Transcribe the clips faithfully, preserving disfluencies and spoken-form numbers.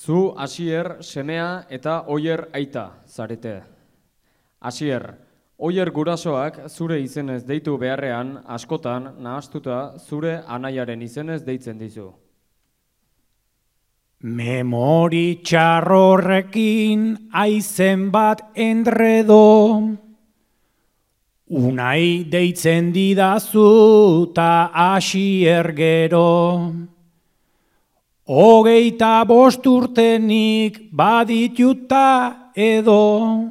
Zu Asier semea eta Oier aita zarete. Asier, Oier gurasoak zure izenez deitu beharrean askotan nahastuta zure anaiaren izenez deitzen dizu. Memori txarrorrekin aizen bat endredo, Unai deitzen didazu ta Asier gero. Hogeita bost urtenik badituta edo,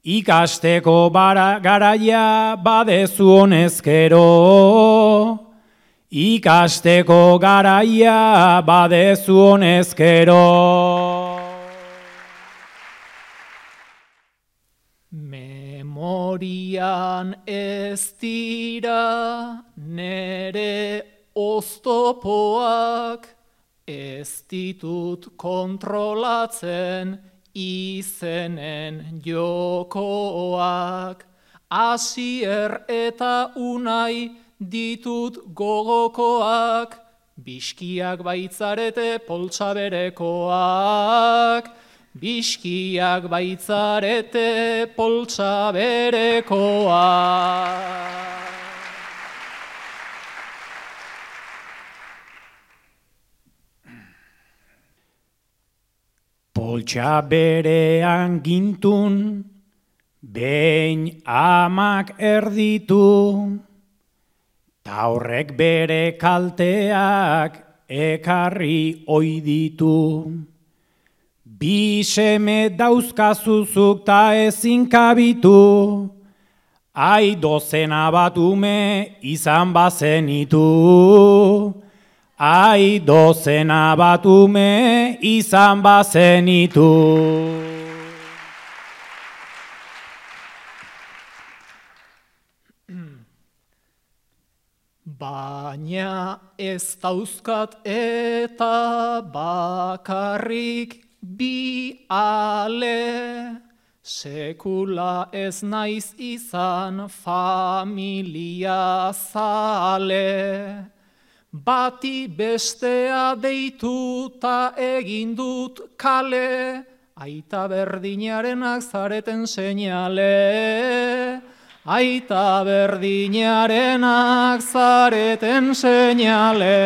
ikasteko bara garaia badezu honezkero. Ikasteko garaia badezu honezkero. Memorian ez dira nere oztopoak, ez ditut kontrolatzen izenen jokoak. Asier eta Unai ditut gogokoak, biskiak baitzarete poltsa berekoak. Biskiak baitzarete poltsa berekoak. Poltsa berean gintun, behin amak erditu, ta horrek bere kalteak ekarri ohi ditu. Bi seme dauzkazuzuk ta ezin kabitu, ai dozena bat ume izan bazenitu. Ai dozena bat ume izan bazenitu. Baina ez dauzkat eta bakarrik bi ale, sekula ez naiz izan familia zale. Bati bestea deituta egin dut kale, aita berdinarenak zareten seinale. Aita berdinarenak zareten seinale.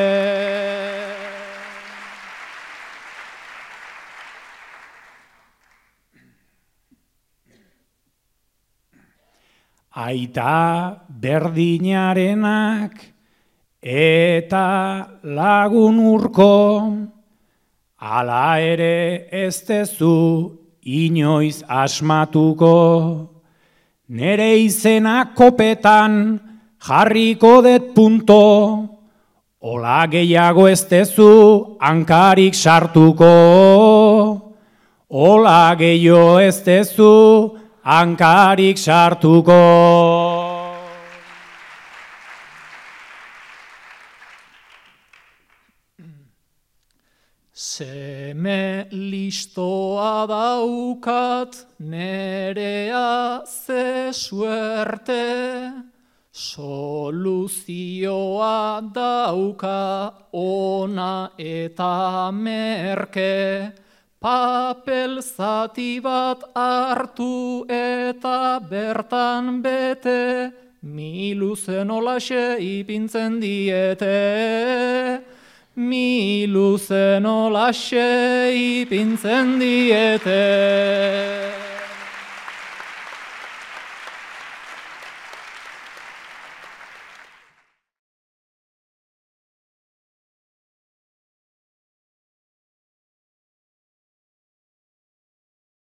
Aita berdinarenak eta lagun urko, hala ere ez dezu inoiz asmatuko. Nere izena kopetan jarriko det punto, ola gehiago ez dezu hankarik sartuko. Ola gehiago ez dezu hankarik sartuko. Seme listoa daukat nerea ze suerte, soluzioa dauka ona eta merke, papel zati bat hartu eta bertan bete, miluzen olaxe ipintzen diete. Miluzen olaxe ipintzen diete.